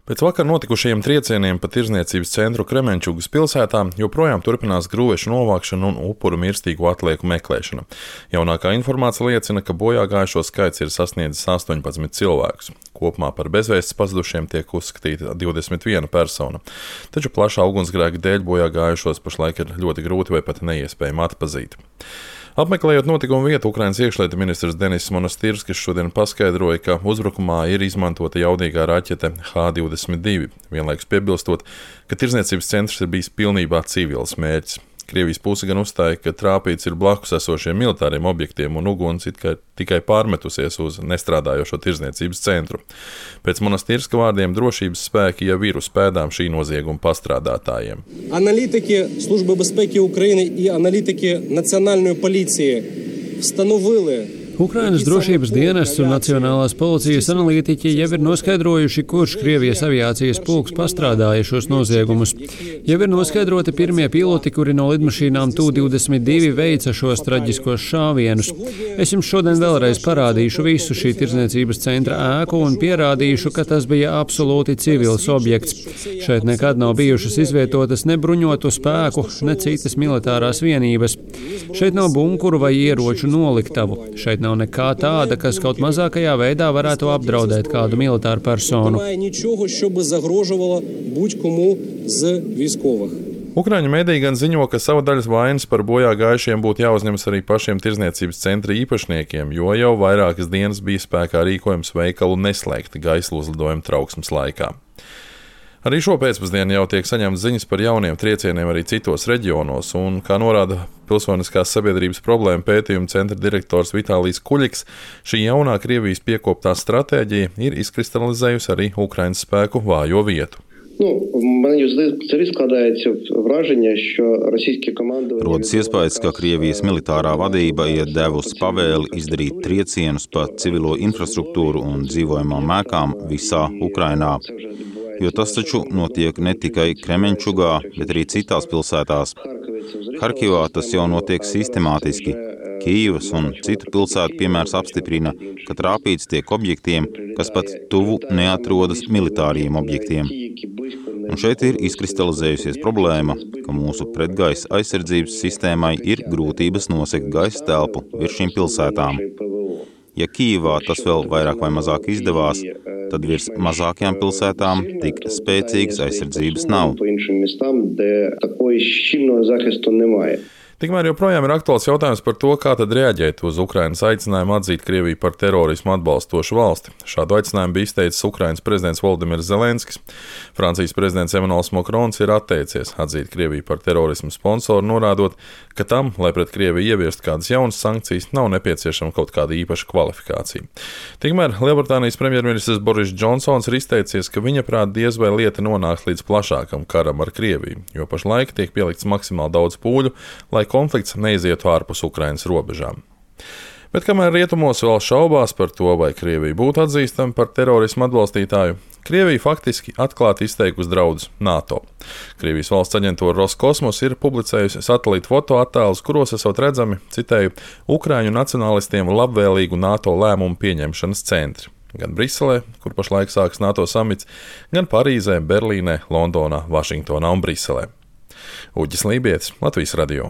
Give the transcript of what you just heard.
Pēc vakar notikušajiem triecieniem pa tirdzniecības centru Kremenčugas pilsētā joprojām turpinās grūvešu novākšana un upuru mirstīgo atlieku meklēšana. Jaunākā informācija liecina, ka bojāgājušo skaits ir sasniedzis 18 cilvēkus. Kopumā par bezvēsts pazudušiem tiek uzskatīta 21 persona. Taču plašā ugunsgrēka dēļ bojāgājušos pašlaik ir ļoti grūti vai pat neiespējami atpazīt. Apmeklējot notikumu vietu, Ukrainas iekšlietu ministrs Denis Monastirskis šodien paskaidroja, ka uzbrukumā ir izmantota jaudīgā raķete H-22, vienlaikus piebilstot, ka tirdzniecības centrs ir bijis pilnībā civils mērķis. Krievijas puse gan uzstāja, ka trāpīts ir blakus esošiem militāriem objektiem un uguns tikai pārmetusies uz nestrādājošo tirdzniecības centru. Pēc Monastirska vārdiem drošības spēki jau ir uz pēdām šī nozieguma pastrādātājiem. Аналітики Служби безпеки України і аналітики Національної поліції встановили Ukrainas drošības dienests un Nacionālās policijas analītiķi jau ir noskaidrojuši, kurš Krievijas aviācijas pulks pastrādāja šos noziegumus. Jau ir noskaidroti pirmie piloti, kuri no lidmašīnām Tu-22 veica šos traģiskos šāvienus. Es jums šodien vēlreiz parādīšu visu šī tirdzniecības centra ēku un pierādīšu, ka tas bija absolūti civils objekts. Šeit nekad nav bijušas izvietotas ne bruņotu spēku, ne citas militārās vienības. Šeit nav bunkuru vai ieroču noliktavu. Šeit nav nekā tāda, kas kaut mazākajā veidā varētu apdraudēt kādu militāru personu. Ukraiņu mediji gan ziņo, ka savu daļas vainas par bojā gājušiem būtu jāuzņemas arī pašiem tirdzniecības centra īpašniekiem, jo jau vairākas dienas bija spēkā rīkojums veikalu neslēgt gaisa uzlidojuma trauksmes laikā. Arī šo pēcpusdienu jau tiek saņemtas ziņas par jauniem triecieniem arī citos reģionos, un, kā norāda Pilsoniskās sabiedrības problēmu pētījuma centra direktors Vitālijs Kuļiks, šī jaunā Krievijas piekoptā stratēģija ir izkristalizējusi arī Ukrainas spēku vājo vietu. Rodas iespējas, ka Krievijas militārā vadība ir devusi pavēli izdarīt triecienus pa civilo infrastruktūru un dzīvojamām ēkām visā Ukrainā. Jo tas taču notiek ne tikai Kremenčugā, bet arī citās pilsētās. Harkivā tas jau notiek sistemātiski. Kijivas un citu pilsētu piemērs apstiprina, ka trāpīts tiek objektiem, kas pat tuvu neatrodas militāriem objektiem. Un šeit ir izkristalizējusies problēma, ka mūsu pretgaisa aizsardzības sistēmai ir grūtības nosegt gaisa telpu virs šīm pilsētām. Ja Kijivā tas vēl vairāk vai mazāk izdevās, tad virs mazākajām pilsētām tik spēcīgas aizsardzības nav. Tikmēr joprojām ir aktuāls jautājums par to, kā tad reaģēt uz Ukrainas aicinājumu atzīt Krieviju par terorismu atbalstošu valsti. Šādu aicinājumu bija izteicis Ukrainas prezidents Volodimirs Zelenskis. Francijas prezidents Emmanuels Macrons ir atteicies atzīt Krieviju par terorismu sponsoru, norādot, ka tam, lai pret Krieviju ieviestu kādas jaunas sankcijas, nav nepieciešama kaut kāda īpaša kvalifikācija. Tikmēr Lielbritānijas premjerministrs Boris Džonsons ir izteicies, ka viņa prāt diez vai lieta nonāks līdz plašākam karam ar Krieviju, jo pašlaik tiek pielikts maksimāli daudz pūļu, lai konflikts neizietu ārpus Ukrainas robežām. Bet kamēr rietumos vēl šaubās par to, vai Krievija būtu atzīstama par terorismu atbalstītāju, Krievija faktiski atklāti izteikusi draudus NATO. Krievijas valsts aģentūra Roskosmos ir publicējusi satelītu fotoattēlus, kuros esot redzami, citēju, Ukraiņu nacionālistiem labvēlīgu NATO lēmumu pieņemšanas centri. Gan Briselē, kur pašlaik sāks NATO samits, gan Parīzē, Berlīnē, Londonā, Vašingtonā un Briselē. Uģis Lībietis, Latvijas radio.